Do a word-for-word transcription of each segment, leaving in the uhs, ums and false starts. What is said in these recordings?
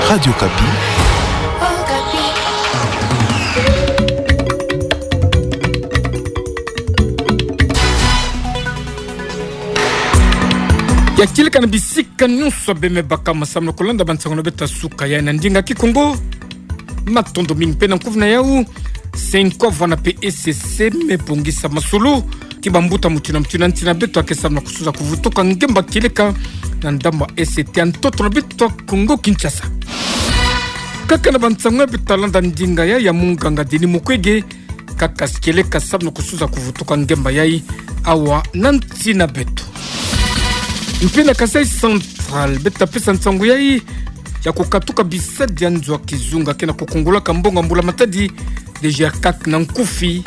Radio Okapi. Ya kieleka na bisika nyonso bemebaka, masamna kolanda bansango na beto ya suka ya na ndinga Kikongo. Matondo mingi mpe na nkufi na yau. Cenco wana mpe E C C mebongisa masolo ti bambuta mutindu na mutindu ya nsi na beto ya ke, samna kususa kuvutuka ngemba kieleka na ndambu ya ese ya ntoto na beto ya Kongo Kinshasa. Kaka na bansango ya beto talanda ndinga ya, ya munganga Denis Mukwege, kaka si kieleka samna kususa kuvutuka ngemba yai awa na nsi na beto. Mpe na Kasaï Central, beto tapesa nsango yai ya kukatuka bisadi ya nzo ya kizunga ke na kukungulaka mbongo ya mbula matadi, D G R CAC na nkufi.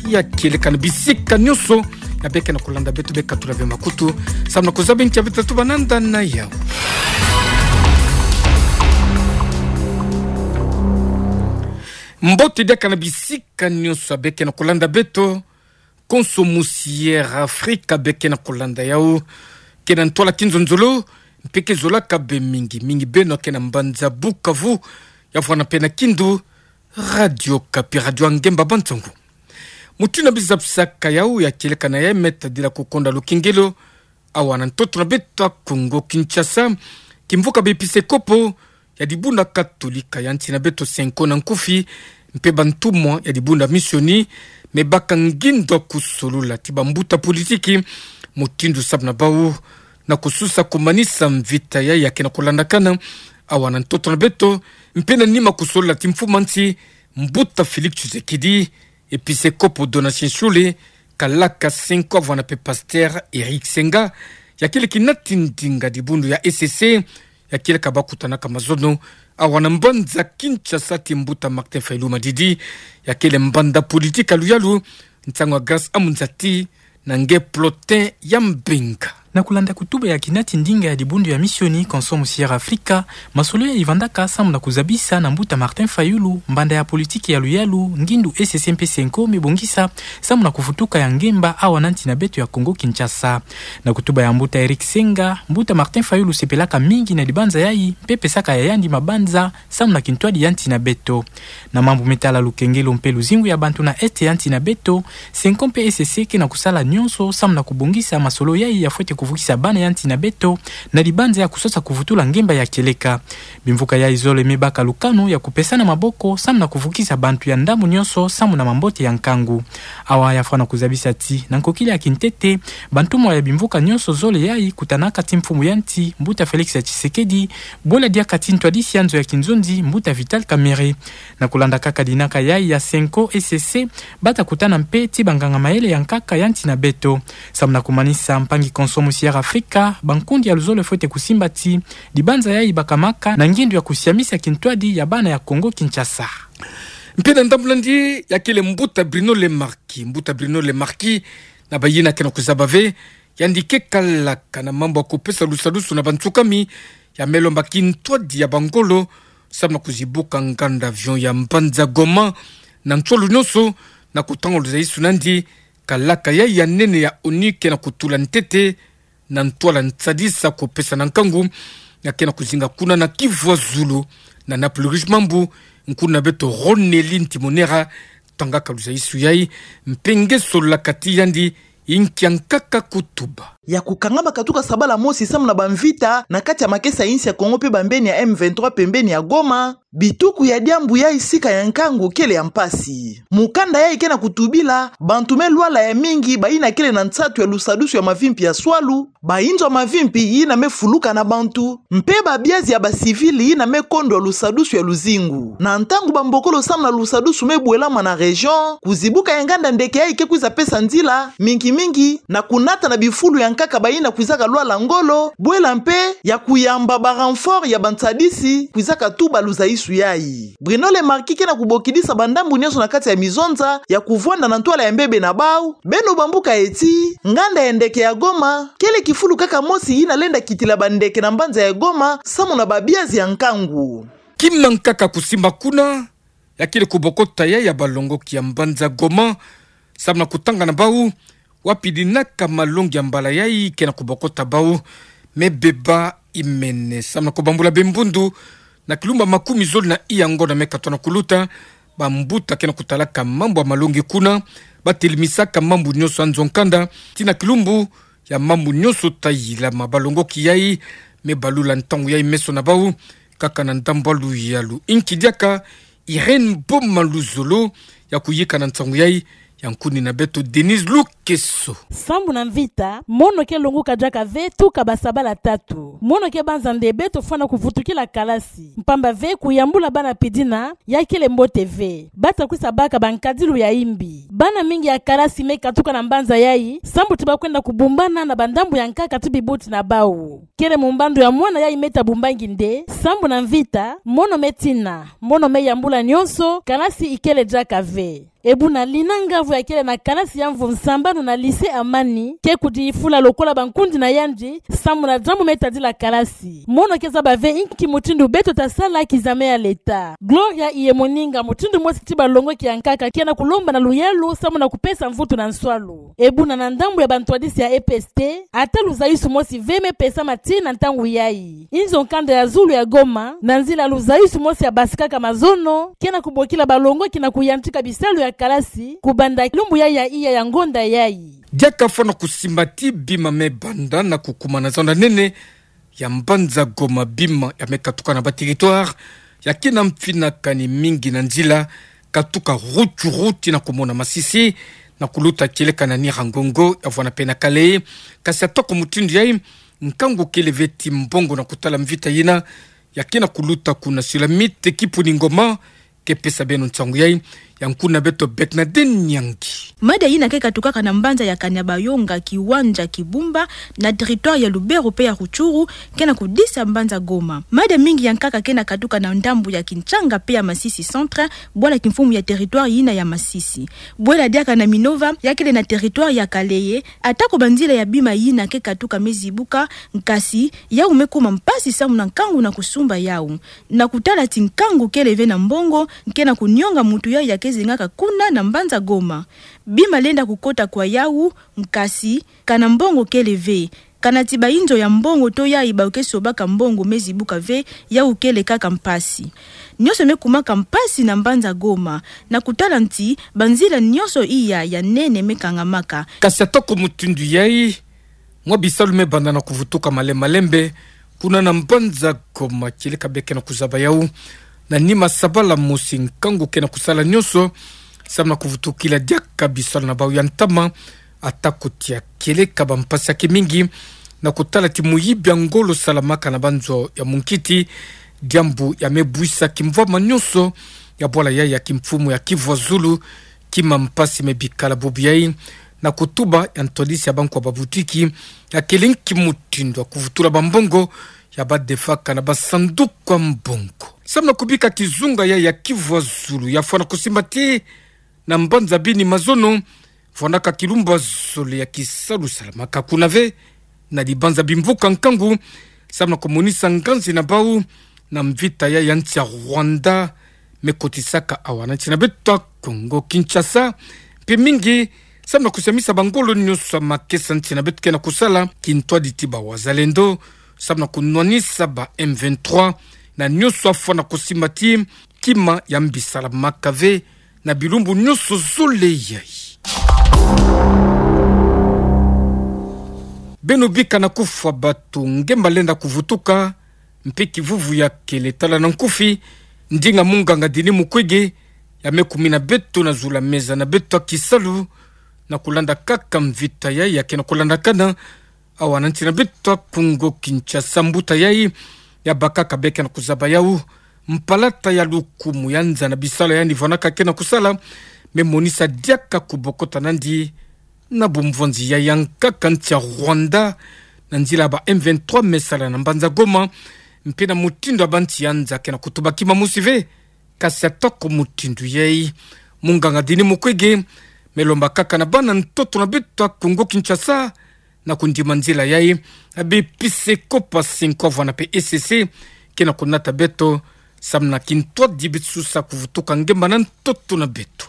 Ya kieleka na bisika nyonso ya beke na kolanda beto, bekatula ve makutu, samna kuzaba nki ya beto tatuba nanda na yau. Mbote diaka na bisika nyonso ya beke na kolanda beto. Konso musi Air Africa beke na kolanda yau ke na ntwala kinzonzolo, mpe ke zolaka be mingi mingi beno ke na mbanza Bukavu, ya vwanda mpe na Kindu. Radio Okapi, radio ya ngemba bansango. Mutindu na bizapisaka yau, ya kieleka na yai me tadila kukonda lukengelo awa na ntoto na beto ya Kongo Kinshasa, kimvuka biepisekopo ya dibundu ya Katolika ya nsi na beto, Cenco na nkufi, mpe bantumwa ya dibundu ya Misioni, mebaka ngindo ya kusolula ti bambuta politiki mutindu samna bau na kususa kumanisa mvita yai ya ke na kolandakana awa na ntoto na beto, mpe na nima kusolula ti mfumu a nsi, mbuta Félix Tshisekedi, episekopo Donatien Shole, kalaka Cenco, vwanda mpe pasteur Eric Senga, ya kieleka nati ndinga dibundu ya E C C, ya kieleka bakutanaka mazono awa na mbanza Kinshasa ti mbuta Martin Fayulu Madidi, ya kele mbanda politiki ya luyalu, nsangu ya Grace Amunzati na nge Plotin ya Mbenga. Na kulanda kutuba ya kinati ndinga ya dibundu ya Misioni, konso musi Air Africa, masolo yai vandaka samna kuzabisa na mbuta Martin Fayulu, mbanda ya politiki ya luyalu, ngindu E C C mpe Cenco mebongisa samna kuvutuka ya ngemba awa na nsi na beto ya Kongo Kinshasa. Na kutuba ya mbuta Eric Senga, mbuta Martin Fayulu sepelaka mingi na dibanza yai, mpe pesaka ya yandi mabanza samna kintwadi ya nsi na beto. Na mambu me tala lukengelo mpe luzingu ya bantu na Est ya nsi na beto, Cenco mpe E C C ke na kusala nyonso samna kubongisa masolo yai ya fwete kuvukisa bana ya nsi na beto na dibanza ya kusosa kuvutula ngemba ya kieleka. Bimvuka yai zole mebaka lukanu ya kupesana maboko samna kuvukisa bantu ya ndambu nyonso samu na mambote ya nkangu. Awa ya fwana kuzabisa ti, na nkokila ya kintete, bantumwa ya bimvuka nyonso zole yai, kutanaka ti mfumu ya nsi, mbuta Félix Tshisekedi, bwela diaka ti ntwadisi ya nzo ya kinzonzi, mbuta Vital Kamerhe. Na kulanda kaka dinaka yai ya Cenco E C C, bata kutana mpe ti banganga mayele ya nkaka ya nsi na beto. Samu na kumanisa, mpangi konso musi Air Africa, bankundi ya luzolo fwete kusimba ti dibanza yai bakamaka na ngindu ya kusiamisa kintwadi ya bana ya Kongo Kinshasa. Mpe na ndambu nandi, ya kele mbuta Bruno Le Marquis. Mbuta Bruno Le Marquis, na bayina ke na kuzaba ve, yandi ke kalaka na mambu ya kupesa lusadusu na bansukami ya me lomba kintwadi ya bangolo, samu na kuzibuka nganda avion ya mbanza Goma na nsolo nyonso, na kutanga luzayisu nandi, kalaka yai ya nene ya ONU ke na kutula ntete na ntwala nsadisa kupesa na nkangu ya ke na kuzinga kuna na Kivu ya zulu, na Naples Rouge Mambu, nkuna beto Ronelin Timonera, tangaka luzayisu yai, mpe nge solaka ti yandi, inki ya nkaka kutuba. Ya kukangama katuka sabala mosi samu na bamvita na kati ya makesa ya insi ya Kongo mpe bambeni ya M vingt-trois pembeni ya Goma, bituku ya diambu yai sika ya nkangu kele ya mpasi. Mukanda yai ke na kutubila, bantu me lwala ya mingi, bayina kele na nsatu ya lusadusu ya mavimpi ya swalu, bayinzo ya mavimpi yina me fuluka na bantu, mpe babiazi ya bacivil yina me kondwa lusadusu ya luzingu. Na ntangu bambokolo samu na lusadusu me bwelama na région, kuzibuka ya nganda ndeke yai ke kwiza pesa nzila, mingi mingi, na kunata na bifulu ya nkaka bayina kwizaka lwala ngolo, bwela mpe ya kuyamba ba renfort ya bansadisi kwizaka tuba luzayisu yai. Bruno Le Marquis ke na kubokidisa bandambu nyonso na kati ya mizonza ya kuvwanda na ntwala ya mbebe na bau, beno bambuka, ti nganda ya ndeke ya Goma kele kifulu kaka mosi yina lenda kitila bandeke na mbanza ya Goma samu na babiazi ya nkangu. Kima nkaka kusimba kuna, ya kele kubokota yai ya balongoki ya mbanza Goma, samu na kutanga na bau wapi dinaka malongi ya mbala yai ke na kubokota bau me beba imene, samu na kubambula bimbundu Na kilumbu ya makumi zole na iya ngonda me katoto na kuluta, bambuta ke na kutalaka mambu ya malongi kuna, batelemisaka mambu nyonso ya nzo nkanda, tii na kilumbu ya mambu nyonso ta yilama. Balongoki yai me balula ntangu yai meso na bau, kaka na ndambu ya luyalu. Inki diaka Irène Boma Luzolo, ya kuyika na nsangu yai, ya nkuni na beto Denise Lukeso. Sambu na mvita, mono ke longoka diaka ve tuka basabala tatu. Mono ke banza nde beto fwana kuvutukila kalasi. Mpamba ve kuyambula bana pidina, ya kele mbote ve. Bata kwisa baka bankadilu ya imbi. Bana mingi ya kalasi me katuka na mbanza yai, sambu ti bakwenda kubumbana na bandambu ya nkaka ti bibuti na bau. Kele mumbandu ya mwana yai me ta bumbangi nde, sambu na mvita, mono me tina, mono me yambula nyonso, kalasi ikele diaka ve. E buna Lina Ngavu ya kele na kalasi ya mvu nsambanu na lycée Amani, ke kudifula lokola bankundi na yandi, sambu na diambu me tadila kalasi. Mono ke zaba ve inki mutindu beto ta sala kizame ya leta. Gloria Iyemoninga, mutindu mosi kati balongoki ya nkaka, ke na kulomba na luyalu, sambu na kupesa mvutu na nswalu. E buna na ndambu ya bantwadisi ya E P S T, ata luzayusu mosi ve me pesama tii na ntangu yai. Nzo nkanda ya zulu ya Goma, na nzila luzayusu mosi ya basikaka mazono, ke na kubokila balongoki na kuyantika bisalu ya kalasi, kubanda lumbu yai ya iya ya ngonda yai. Diaka fwana kusimba ti bima me banda na kukuma na zando nene ya mbanza Goma, bima ya me katuka na ba territoire ya ke na mfinakani mingi na nzila, katuka Rutshuru tii na kumona Masisi, na kuluta kieleka na Nyiragongo, ya vwana pe na Kalehe. Kasi atako mutindu yai, nkangu kele ve ti mbongo na kutala mvita yina ya ke na kuluta kuna sur la Mite, Kipuningo, Goma, ke pesa beno nsangu yai, ya nkuni na beto Bernadette Nyangi. Mada yina ke katukaka na mbanza ya Kanyabayonga, Kiwanja, Kibumba, na territoire ya Lubero pe ya Rutshuru, ke na kudisa mbanza Goma. Mada mingi ya nkaka ke na katuka na ndambu ya Kinshanga pe ya Masisi Centre, bwala kimfumu ya territoire yina ya Masisi. Bwela diaka na Minova, ya kele na territoire ya Kalehe, atako banzila ya bima yina ke katuka me zibuka, nkasi yau me kuma mpasi sambu na nkangu na kusumba yau. Na kutala ti nkangu kele ve na mbongo, nke na kunionga mutu yai ya ke zengaka kuna na mbanza Goma. Bima lenda kukota kwa yau, nkasi, kana mbongo kele ve. Kana ti bainzo ya mbongo to yai bau ke sobaka mbongo me zibuka ve, yau kele kaka mpasi. Nyonso me kumaka mpasi na mbanza Goma, na kutala nti banzila nyonso iya ya nene me kangamaka. Kasi atako mutindu yai, mwa bisalu me banda na kuvutuka malembe malembe kuna na mbanza Goma, kieleka be ke na kuzaba yau. Na nima sabala mosi, nkangu ke na kusala nyonso sambu na kuvutukila diaka bisalu na bau ya ntama, atako tia kieleka bampasi ya ke mingi, na kutala ti muyibi ya ngolo salamaka na banzo ya munkiti, diambu ya me buisa kimvwama nyonso ya bwala yai ya kimfumu ya Kivu ya Zulu. Kima mpasi me bikala bubu yai, na kutuba ya ntwadisi ya bankwa babutiki, ya kele nki mutindu ya kuvutula bambongo ya badefaka na basanduku ya mbongo. Sambu na kubika kizunga yai ya Kivu ya Zulu, ya fwana kusimba ti na mbanza bini mazono, fwanaka kilumbu ya zole ya kisalu salamaka kuna ve, na dibanza bimvuka nkangu, sambu na kumonisa nganzi na bau na mvita yai ya nsi ya Rwanda me kotisaka awa na nsi na beto ya Congo Kinshasa. Mpe mingi, sambu na kusiamisa bangolo nyonso ya makesa nsi na beto ke na kusala kintwadi ti bawazalendo, sambu na kunwanisa ba M vingt-trois, na nyonso afwana kusimba ti kima ya mbi salamaka ve na bilumbu nyonso zole yai. Beno bika na kufwa bato, ngemba lenda kuvutuka, mpe kivuvu ya kele. Tala na nkufi ndinga munganga Denis Mukwege ya me kumina beto na zulu ya meza na beto ya kisalu, na kulanda kaka mvita yai ya ke na kulandakana awa na nsi na beto ya Congo Kinshasa. Mbuta yai ya bakaka be ke na kuzaba yau mpalata ya lukumu ya nza na bisalu ya yandi fwanaka ke na kusala, me monisa diaka kubokota na yandi na bumvonzi ya yankaka nsi ya Rwanda, na nzila ya ba M vingt-trois me sala na mbanza Goma, mpe na mutindu ya bansi ya nza ke na kutuba kima mosi ve. Kasi atako mutindu yai, munganga Denis Mukwege me lomba kaka na bana ntoto na beto ya Congo Kinshasa na kundima nzila yai, ya bepisikopo ya cinq, vana pe E C C, ke na kunata beto, samu na kintwadi beto susa kuvutuka ngemba na ntoto na beto.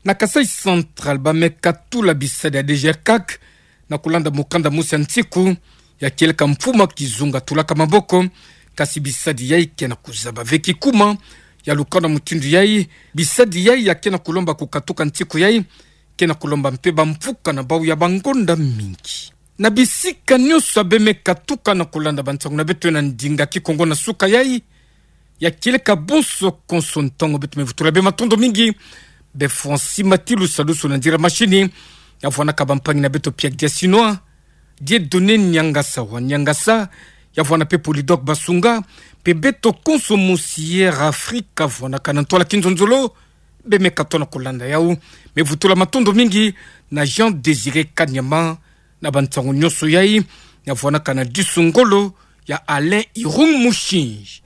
Na Kasaï Central, ba me katula bisadi ya D G R CAC, na kulanda mukanda mosi ya nsiku, Ya kieleka mfuma kizunga tulaka maboko, kasi bisadi yai ke na kuzaba ve kikuma. Ya lukana mutindu yai, bisadi yai ya ke na kulomba kukatuka ntiku yai, ke na kulomba mpe bamfuka na bau ya bangonda mingi. Na bisika nyonso abe me katuka na kulanda bansangu na beto na ndinga Kikongo na suka yai, ya kieleka bonso konso ntangu beto me vutula be matondo mingi. Be Francis Matilu Salusu na nzila mashini, ya vwanaka bampangi na beto Pierre Diasinoa, Dieudonné Niangasa wa Niangasa, ya vwana mpe Polydor Basunga, mpe beto konso mu Sierra Africa, vwanaka na ntwala kinzonzolo, be me katoa na kulanda yau. Me vutula matondo mingi na Jean Désiré Kanyama, na bansangu nyonso yai, ya vwanaka na disu ngolo ya Alain Irung Mushinji.